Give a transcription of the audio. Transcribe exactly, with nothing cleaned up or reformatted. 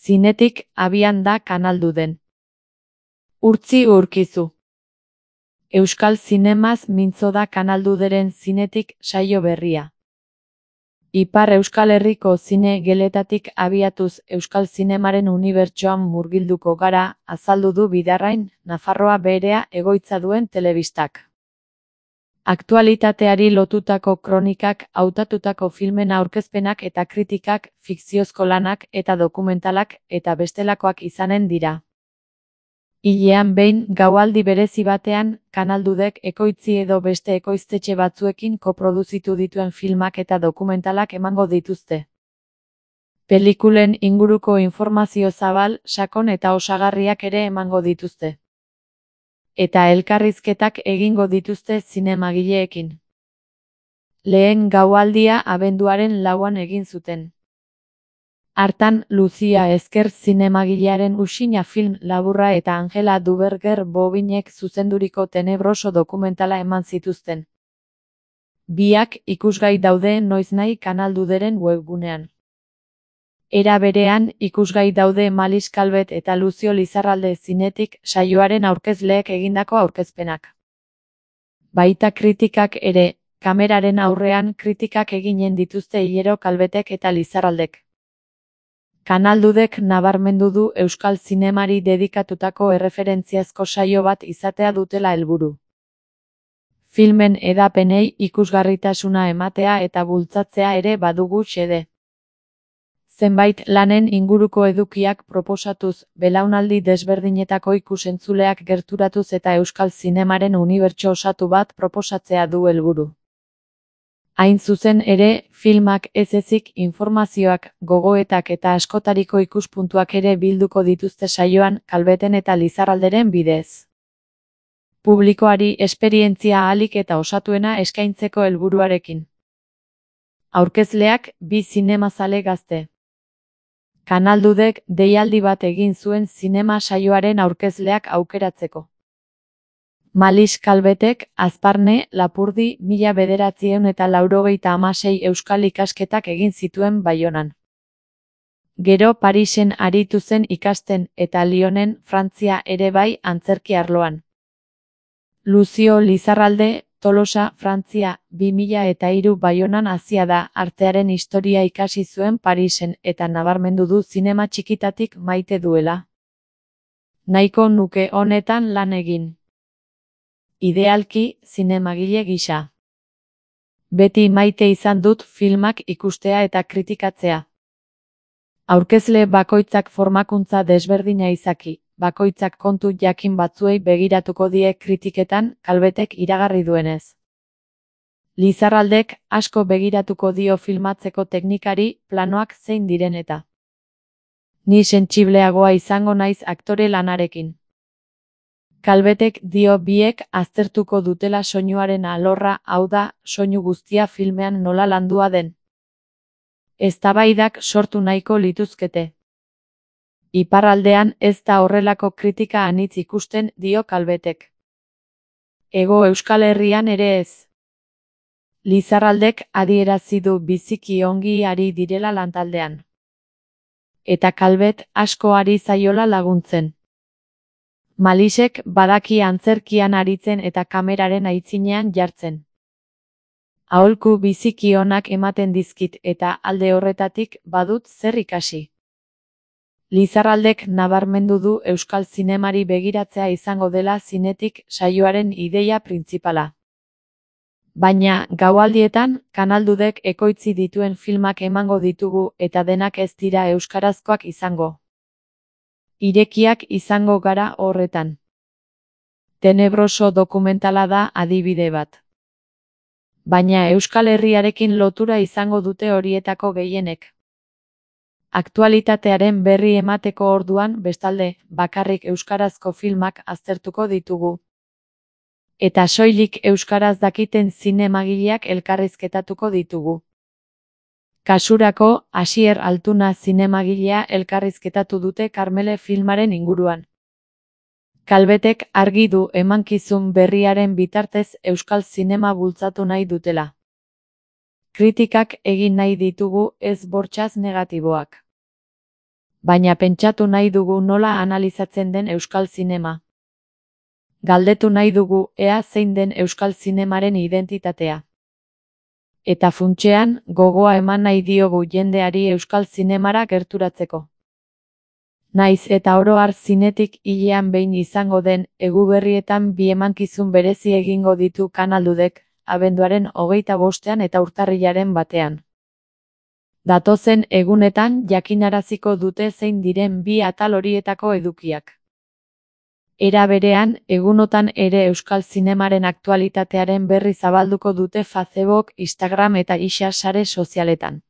Zinetik abian da Kanalduden. Urtzi urkizu. Euskal zinemaz mintzo da Kanalduderen zinetik saio berria. Ipar Euskal Herriko zine geletatik abiatuz Euskal zinemaren unibertsoan murgilduko gara, azaldu du Bidarrain, Nafarroa berea egoitza duen telebistak. Aktualitateari lotutako kronikak, hautatutako filmen aurkezpenak eta kritikak, fikziozko lanak eta dokumentalak eta bestelakoak izanen dira. Hilean behin, gaualdi berezi batean, Kanaldudek ekoitzi edo beste ekoiztetxe batzuekin koproduzitu dituen filmak eta dokumentalak emango dituzte. Pelikulen inguruko informazio zabal, sakon eta osagarriak ere emango dituzte. Eta elkarrizketak egingo dituzte zinemagileekin. Lehen gaualdia abenduaren lauan egin zuten. Hartan, Lucia Ezker zinemagilearen Usina film laburra eta Angela Duberger Bobinek zuzenduriko Tenebroso dokumentala eman zituzten. Biak ikusgai daude noiznahi Kanalduderen webgunean. Era berean, ikusgai daude Malis Calvet eta Lucio Lizarralde zinetik saioaren aurkezleek egindako aurkezpenak. Baita kritikak ere, kameraren aurrean kritikak eginen dituzte hilero Calvetek eta Lizarraldek. Kanaldudek nabarmendu du Euskal zinemari dedikatutako erreferentziazko saio bat izatea dutela helburu. Filmen hedapenei ikusgarritasuna ematea eta bultzatzea ere badugu xede. Zenbait lanen inguruko edukiak proposatuz, belaunaldi desberdinetako ikusentzuleak gerturatuz eta Euskal zinemaren unibertso osatu bat proposatzea du helburu. Hain zuzen ere, filmak ez ezik informazioak, gogoetak eta askotariko ikuspuntuak ere bilduko dituzte saioan, Calveten eta Lizarralderen bidez. Publikoari esperientzia ahalik eta osatuena eskaintzeko helburuarekin. Aurkezleak, bi zinemazale gazte. Kanaldudek deialdi bat egin zuen zinema saioaren aurkezleak aukeratzeko. Malis Calvetek, Azparne, Lapurdi, mila bederatziehun eta laurogeita hamasei euskal ikasketak egin zituen Baionan. Gero Parisen aritu zen ikasten eta Lyonen, Frantzia ere bai antzerki arloan. Lucio Lizarralde, Tolosa, Frantzia, bi mila eta hiru Baionan hazia da, artearen historia ikasi zuen Parisen eta nabarmendu du zinema txikitatik maite duela. Nahiko nuke honetan lan egin. Idealki, zinemagile gisa. Beti maite izan dut filmak ikustea eta kritikatzea. Aurkezle bakoitzak formakuntza desberdina izaki, bakoitzak kontu jakin batzuei begiratuko die kritiketan, Calvetek iragarri duenez. Lizarraldek asko begiratuko dio filmatzeko teknikari, planoak zein diren eta. Ni sentsibleagoa izango naiz aktore lanarekin. Calvetek dio biek aztertuko dutela soinuaren alorra, hau da, soinu guztia filmean nola landua den. Eztabaidak sortu nahiko lituzkete. Iparraldean ez da horrelako kritika anitz ikusten, dio Calvetek. Hego Euskal Herrian ere ez. Lizarraldek adierazi du biziki ongi ari direla lantaldean. Eta Calvet asko ari zaiola laguntzen. Malisek badaki antzerkian aritzen eta kameraren aitzinean jartzen. Aholku biziki onak ematen dizkit eta alde horretatik badut zer ikasi. Lizarraldek nabarmendu du Euskal zinemari begiratzea izango dela zinetik saioaren ideia printzipala. Baina, gaualdietan, Kanaldudek ekoitzi dituen filmak emango ditugu eta denak ez dira euskarazkoak izango. Irekiak izango gara horretan. Tenebroso dokumentala da adibide bat. Baina Euskal Herriarekin lotura izango dute horietako gehienek. Aktualitatearen berri emateko orduan, bestalde, bakarrik euskarazko filmak aztertuko ditugu. Eta soilik euskaraz dakiten zinemagileak elkarrizketatuko ditugu. Kasurako, Asier Altuna zinemagilea elkarrizketatu dute Karmele filmaren inguruan. Calvetek argi du emankizun berriaren bitartez euskal zinema bultzatu nahi dutela. Kritikak egin nahi ditugu, ez bortxaz negatiboak. baina pentsatu nahi dugu nola analizatzen den euskal zinema. Galdetu nahi dugu ea zein den euskal zinemaren identitatea. Eta funtsean, gogoa eman nahi diogu jendeari euskal zinemara gerturatzeko. Naiz eta oro har zinetik hilean behin izango den Eguberrietan bi emankizun berezi egingo ditu Kanaldudek, abenduaren hogeita bostean eta urtarrilaren batean. Datozen egunetan jakinaraziko dute zein diren bi atal horietako edukiak. Era berean, egunotan ere euskal zinemaren aktualitatearen berri zabalduko dute Facebook, Instagram eta X sare sozialetan.